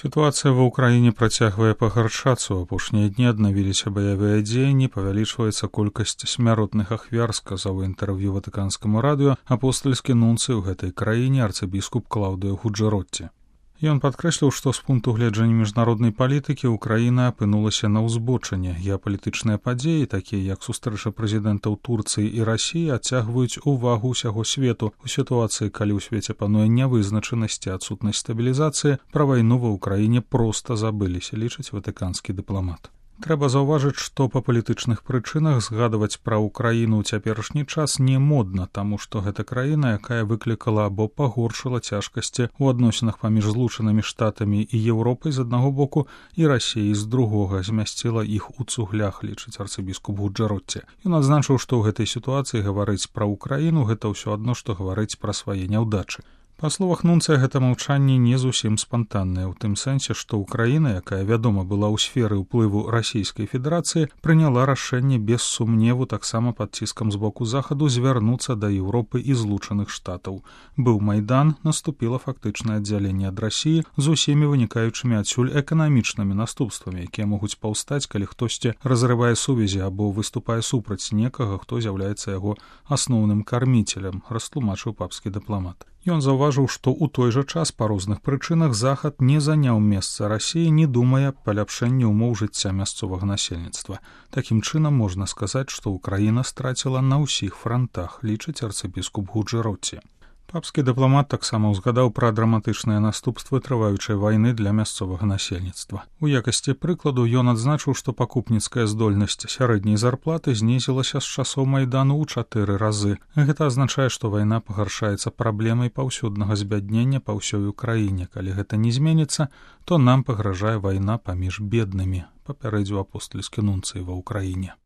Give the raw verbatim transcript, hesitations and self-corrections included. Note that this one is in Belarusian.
Сітуацыя ва ўкраіне працягвае пагаршацца. У апошнія дні аднавіліся баявыя дзеянні, павялічваецца колькасць смяротных ахвяр, сказаў у інтэрв'ю ватыканскаму радыё апостальскі нунцый у гэтай краіне арцыбіскуп Клаўдыё Гуджаротці. Ён падкрэсліў, што з пункту гледжання міжнароднай палітыкі Украіна апынулася на ўзбочыне. Геапалітычныя падзеі, такія як сустрэча прэзідэнтаў Турцыі і Расіі, адцягваюць увагу ўсяго свету. У сітуацыі, калі ў свеце пануе нявызначанасць і адсутнасць стабілізацыі, пра вайну ва ўкраіне проста забыліся, лічыць ватыканскі дыпламат. Трэба заўважыць, што па палітычных прычынах згадваць пра ўкраіну ў цяперашні час не модна, таму што гэта краіна, якая выклікала або пагоршыла цяжкасці ў адносінах паміж злучанымі штатамі і Еўропай з аднаго боку і Расіяй з другога, змясціла іх у цуглях, лічыць арцыбіскуп Гуджаротці. Ён адзначыў, што ў гэтай сітуацыі гаварыць пра ўкраіну гэта ўсё адно, што гаварыць пра свае няўдачы. Па словах нунцыя, гэта маўчанне не зусім спантаннае, у тым сэнсе, што ўкраіна, якая, вядома, была ў сферы ўплыву Расійскай Федэрацыі, прыняла рашэнне без сумневу таксама пад ціскам з боку захаду звярнуцца да Еўропы і Злучаных Штатаў. Быў Майдан, наступіла фактычнае аддзяленне ад Расіі з усімі вынікаючымі адсюль эканамічнымі наступствамі, якія могуць паўстаць, калі хтосьці разрывае сувязі або выступае супраць некага, хто з'яўляецца яго асноўным карміцелем, растлумачыў папскі дыпламат. Ён заўважыў, што ў той жа час па розных прычынах захад не заняў месца Расіі, не думае аб паляпшэнні ўмоў жыцця мясцовага насельніцтва. Такім чынам можна сказаць, што ўкраіна страціла на ўсіх франтах, лічыць арцыбіскуп Гуджаротці. Папскі дыпламат таксама ўзгадаў пра драматычныя наступствы трываючай вайны для мясцовага насельніцтва. У якасці прыкладу ён адзначыў, што пакупніцкая здольнасць сярэдняй зарплаты знізілася з часоў Майдану ў чатыры разы. Гэта азначае, што вайна пагаршаецца праблемай паўсюднага збяднення па ўсёй Украіне. Калі гэта не зменіцца, то нам пагражае вайна паміж беднымі, папярэдзіў апостальскі нунцый ва ўкраіне.